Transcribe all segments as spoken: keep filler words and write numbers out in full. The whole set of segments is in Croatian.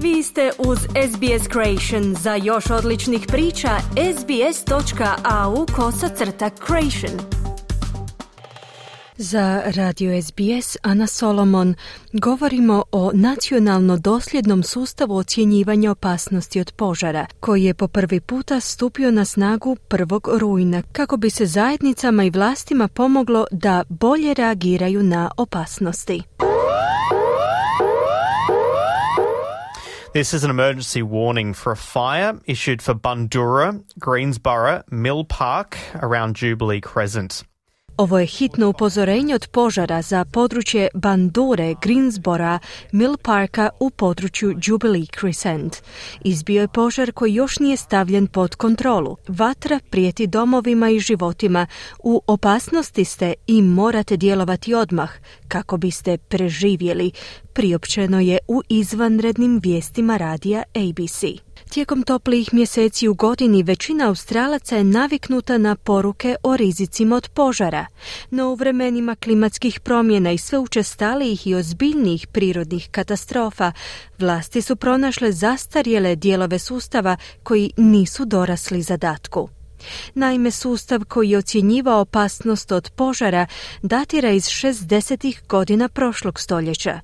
Vi ste uz S B S Creation. Za još odličnih priča, sbs.au kosacrta creation. Za Radio S B S Ana Solomon govorimo o nacionalno dosljednom sustavu ocjenjivanja opasnosti od požara, koji je po prvi puta stupio na snagu prvog rujna, kako bi se zajednicama i vlastima pomoglo da bolje reagiraju na opasnosti. This is an emergency warning for a fire issued for Bundoora, Greensborough, Mill Park around Jubilee Crescent. Ovo je hitno upozorenje od požara za područje Bundoore, Greensborough, Mill Parka u području Jubilee Crescent. Izbio je požar koji još nije stavljen pod kontrolu. Vatra prijeti domovima i životima. U opasnosti ste i morate djelovati odmah kako biste preživjeli, priopćeno je u izvanrednim vijestima radija A B C. Tijekom toplijih mjeseci u godini većina Australaca je naviknuta na poruke o rizicima od požara, no u vremenima klimatskih promjena i sve učestalijih i ozbiljnijih prirodnih katastrofa, vlasti su pronašle zastarjele dijelove sustava koji nisu dorasli zadatku. Naime, sustav koji je ocjenjivao opasnost od požara datira iz šezdesetih godina prošlog stoljeća.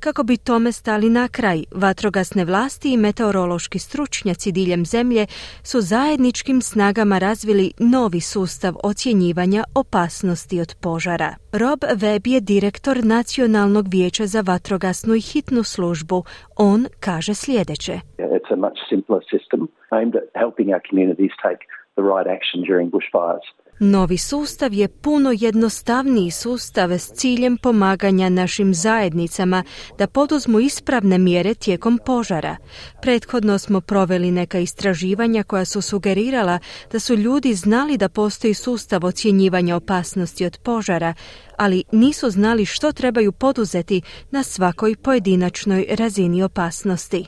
Kako bi tome stali na kraj, vatrogasne vlasti i meteorološki stručnjaci diljem zemlje su zajedničkim snagama razvili novi sustav ocjenjivanja opasnosti od požara. Rob Webb je direktor Nacionalnog vijeća za vatrogasnu i hitnu službu. On kaže sljedeće. It's a much simpler system aimed at helping our communities take the right action during bushfires. Novi sustav je puno jednostavniji sustav s ciljem pomaganja našim zajednicama da poduzmu ispravne mjere tijekom požara. Prethodno smo proveli neka istraživanja koja su sugerirala da su ljudi znali da postoji sustav ocjenjivanja opasnosti od požara, ali nisu znali što trebaju poduzeti na svakoj pojedinačnoj razini opasnosti.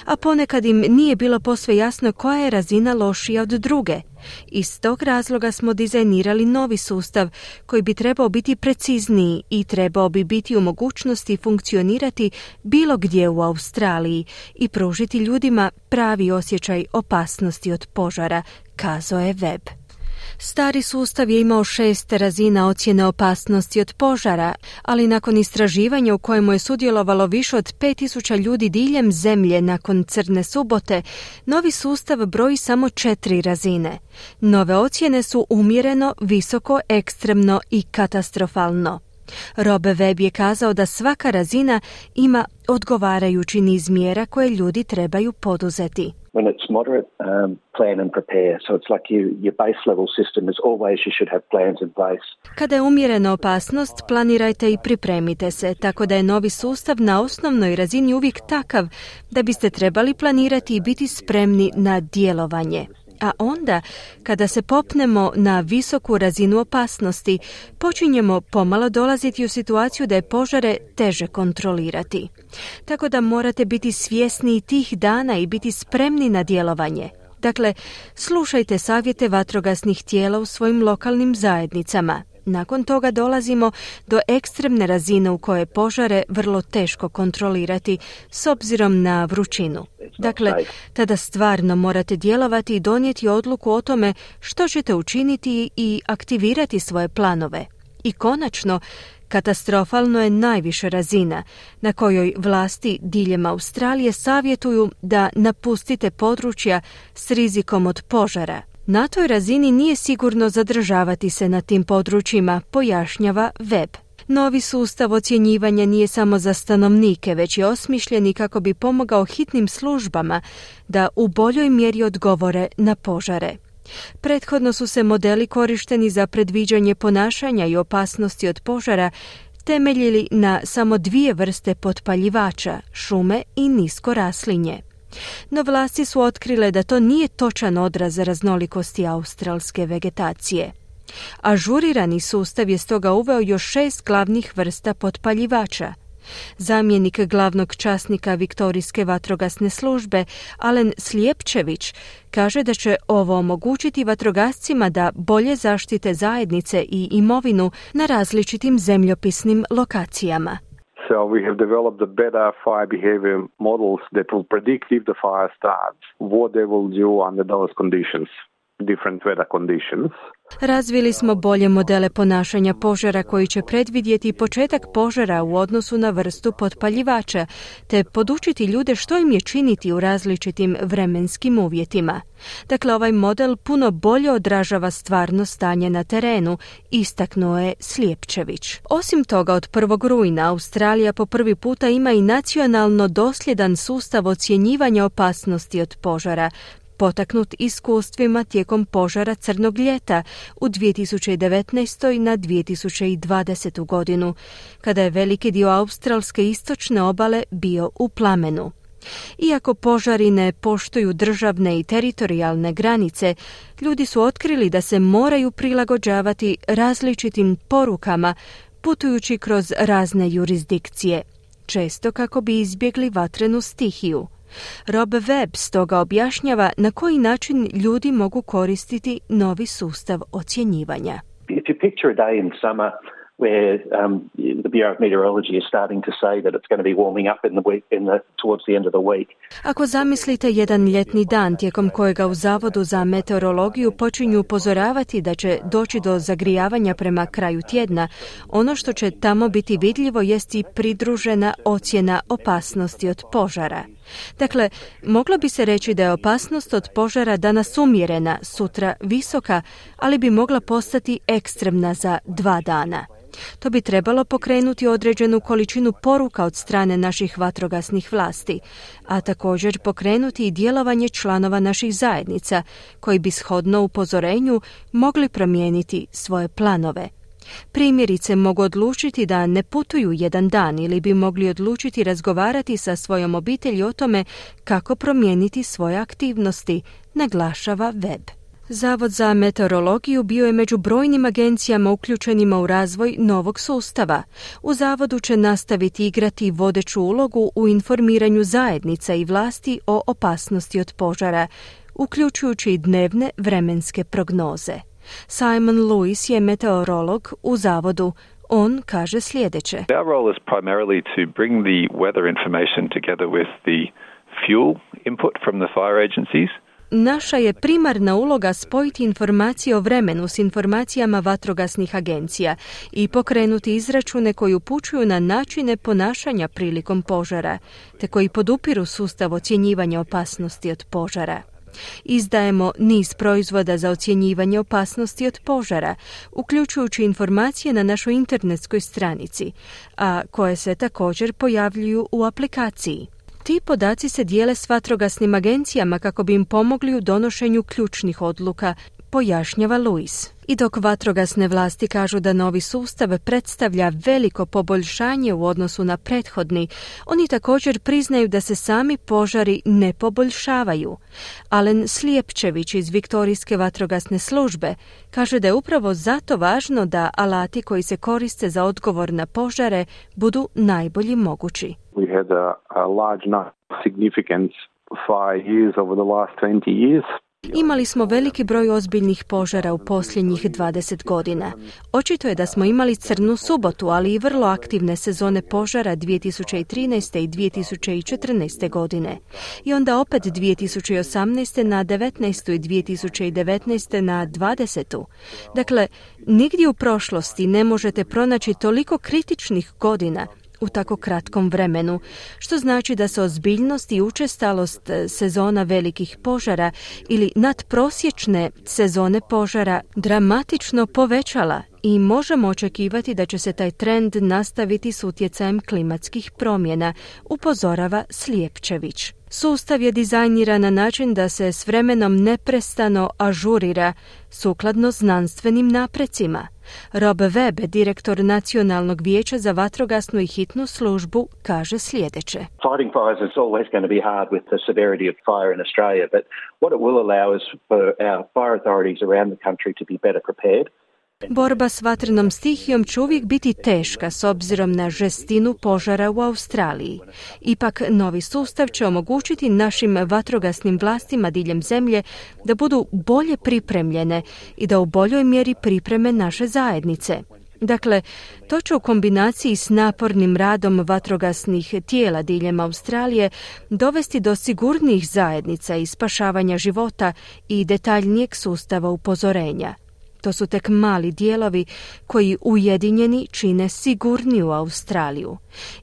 A ponekad im nije bilo posve jasno koja je razina lošija od druge. Iz tog razloga smo dizajnirali novi sustav koji bi trebao biti precizniji i trebao bi biti u mogućnosti funkcionirati bilo gdje u Australiji i pružiti ljudima pravi osjećaj opasnosti od požara, kazao je Webb. Stari sustav je imao šest razina ocjene opasnosti od požara, ali nakon istraživanja u kojemu je sudjelovalo više od pet tisuća ljudi diljem zemlje nakon Crne subote, novi sustav broji samo četiri razine. Nove ocjene su umjereno, visoko, ekstremno i katastrofalno. Rob Webb je kazao da svaka razina ima odgovarajući niz mjera koje ljudi trebaju poduzeti. When it's moderate, um, plan and prepare. So it's like you, your base level system is always you should have plans in place. Kada je umjerena opasnost, planirajte i pripremite se, tako da je novi sustav na osnovnoj razini uvijek takav da biste trebali planirati i biti spremni na djelovanje. A onda, kada se popnemo na visoku razinu opasnosti, počinjemo pomalo dolaziti u situaciju da je požare teže kontrolirati. Tako da morate biti svjesni tih dana i biti spremni na djelovanje. Dakle, slušajte savjete vatrogasnih tijela u svojim lokalnim zajednicama. Nakon toga dolazimo do ekstremne razine u kojoj je požare vrlo teško kontrolirati s obzirom na vrućinu. Dakle, tada stvarno morate djelovati i donijeti odluku o tome što ćete učiniti i aktivirati svoje planove. I konačno, katastrofalno je najviša razina na kojoj vlasti diljem Australije savjetuju da napustite područja s rizikom od požara. Na toj razini nije sigurno zadržavati se na tim područjima, pojašnjava Webb. Novi sustav ocjenjivanja nije samo za stanovnike, već je osmišljen kako bi pomogao hitnim službama da u boljoj mjeri odgovore na požare. Prethodno su se modeli korišteni za predviđanje ponašanja i opasnosti od požara temeljili na samo dvije vrste potpaljivača, šume i nisko raslinje. No vlasti su otkrile da to nije točan odraz raznolikosti australske vegetacije. Ažurirani sustav je stoga uveo još šest glavnih vrsta potpaljivača. Zamjenik glavnog časnika Viktorijske vatrogasne službe, Alen Slijepčević, kaže da će ovo omogućiti vatrogascima da bolje zaštite zajednice i imovinu na različitim zemljopisnim lokacijama. So we have developed the better fire behavior models that will predict if the fire starts, what they will do under those conditions, different weather conditions. Razvili smo bolje modele ponašanja požara koji će predvidjeti početak požara u odnosu na vrstu potpaljivača, te podučiti ljude što im je činiti u različitim vremenskim uvjetima. Dakle, ovaj model puno bolje odražava stvarno stanje na terenu, istaknuo je Slijepčević. Osim toga, od prvog rujna Australija po prvi puta ima i nacionalno dosljedan sustav ocjenjivanja opasnosti od požara, potaknut iskustvima tijekom požara Crnog ljeta u dvije tisuće devetnaestoj na dvije tisuće dvadesetu godinu, kada je veliki dio australske istočne obale bio u plamenu. Iako požari ne poštuju državne i teritorijalne granice, ljudi su otkrili da se moraju prilagođavati različitim porukama putujući kroz razne jurisdikcije, često kako bi izbjegli vatrenu stihiju. Rob Webb stoga objašnjava na koji način ljudi mogu koristiti novi sustav ocjenjivanja. If you picture a day in summer where um, the Bureau of Meteorology is starting to say that it's going to be warming up in the week, in the, towards the end of the week. Ako zamislite jedan ljetni dan tijekom kojega u Zavodu za meteorologiju počinju upozoravati da će doći do zagrijavanja prema kraju tjedna, ono što će tamo biti vidljivo jest i pridružena ocjena opasnosti od požara. Dakle, moglo bi se reći da je opasnost od požara danas umjerena, sutra visoka, ali bi mogla postati ekstremna za dva dana. To bi trebalo pokrenuti određenu količinu poruka od strane naših vatrogasnih vlasti, a također pokrenuti i djelovanje članova naših zajednica, koji bi shodno upozorenju mogli promijeniti svoje planove. Primjerice mogu odlučiti da ne putuju jedan dan ili bi mogli odlučiti razgovarati sa svojom obitelji o tome kako promijeniti svoje aktivnosti, naglašava Webb. Zavod za meteorologiju bio je među brojnim agencijama uključenima u razvoj novog sustava. U zavodu će nastaviti igrati vodeću ulogu u informiranju zajednica i vlasti o opasnosti od požara, uključujući i dnevne vremenske prognoze. Simon Lewis je meteorolog u zavodu. On kaže sljedeće. Our role is primarily to bring the weather information together with the fuel input from the fire agencies. Naša je primarna uloga spojiti informacije o vremenu s informacijama vatrogasnih agencija i pokrenuti izračune koji upućuju na načine ponašanja prilikom požara, te koji podupiru sustav ocjenjivanja opasnosti od požara. Izdajemo niz proizvoda za ocjenjivanje opasnosti od požara, uključujući informacije na našoj internetskoj stranici, a koje se također pojavljuju u aplikaciji. Ti podaci se dijele s vatrogasnim agencijama kako bi im pomogli u donošenju ključnih odluka, pojašnjava Lewis. I dok vatrogasne vlasti kažu da novi sustav predstavlja veliko poboljšanje u odnosu na prethodni, oni također priznaju da se sami požari ne poboljšavaju. Alen Slijepčević iz Viktorijske vatrogasne službe kaže da je upravo zato važno da alati koji se koriste za odgovor na požare budu najbolji mogući. We had a, a large number of significant fire years over the last twenty years. Imali smo veliki broj ozbiljnih požara u posljednjih dvadeset godina. Očito je da smo imali crnu subotu, ali i vrlo aktivne sezone požara dvije tisuće trinaeste i dvije tisuće četrnaeste godine. I onda opet dvije tisuće osamnaeste na devetnaestu i dvije tisuće devetnaeste na dvadesetu. Dakle, nigdje u prošlosti ne možete pronaći toliko kritičnih godina u tako kratkom vremenu, što znači da se ozbiljnost i učestalost sezona velikih požara ili nadprosječne sezone požara dramatično povećala i možemo očekivati da će se taj trend nastaviti s utjecajem klimatskih promjena, upozorava Slijepčević. Sustav je dizajniran na način da se s vremenom neprestano ažurira sukladno znanstvenim naprecima. Rob Webb, direktor Nacionalnog vijeća za vatrogasnu i hitnu službu, kaže sljedeće. Fighting fires is always going to be hard with the severity of fire in Australia, but what it will allow is for our fire authorities around the country to be better prepared. Borba s vatrenom stihijom će uvijek biti teška s obzirom na žestinu požara u Australiji. Ipak, novi sustav će omogućiti našim vatrogasnim vlastima diljem zemlje da budu bolje pripremljene i da u boljoj mjeri pripreme naše zajednice. Dakle, to će u kombinaciji s napornim radom vatrogasnih tijela diljem Australije dovesti do sigurnijih zajednica i spašavanja života i detaljnijeg sustava upozorenja. To su tek mali dijelovi koji ujedinjeni čine sigurniju Australiju.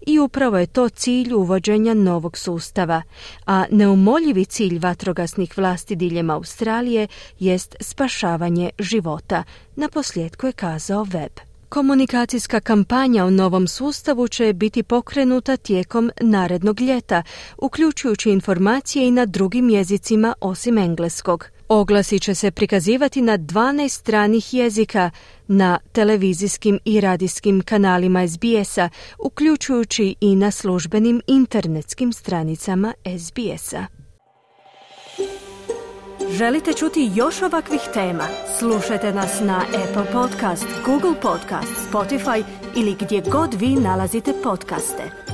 I upravo je to cilj uvođenja novog sustava, a neumoljivi cilj vatrogasnih vlasti diljem Australije jest spašavanje života, naposljetku je kazao Webb. Komunikacijska kampanja o novom sustavu će biti pokrenuta tijekom narednog ljeta, uključujući informacije i na drugim jezicima osim engleskog. Oglasi će se prikazivati na dvanaest stranih jezika na televizijskim i radijskim kanalima es be esa, uključujući i na službenim internetskim stranicama es be esa. Želite čuti još ovakvih tema? Slušajte nas na Apple Podcast, Google Podcast, Spotify ili gdje god vi nalazite podcaste.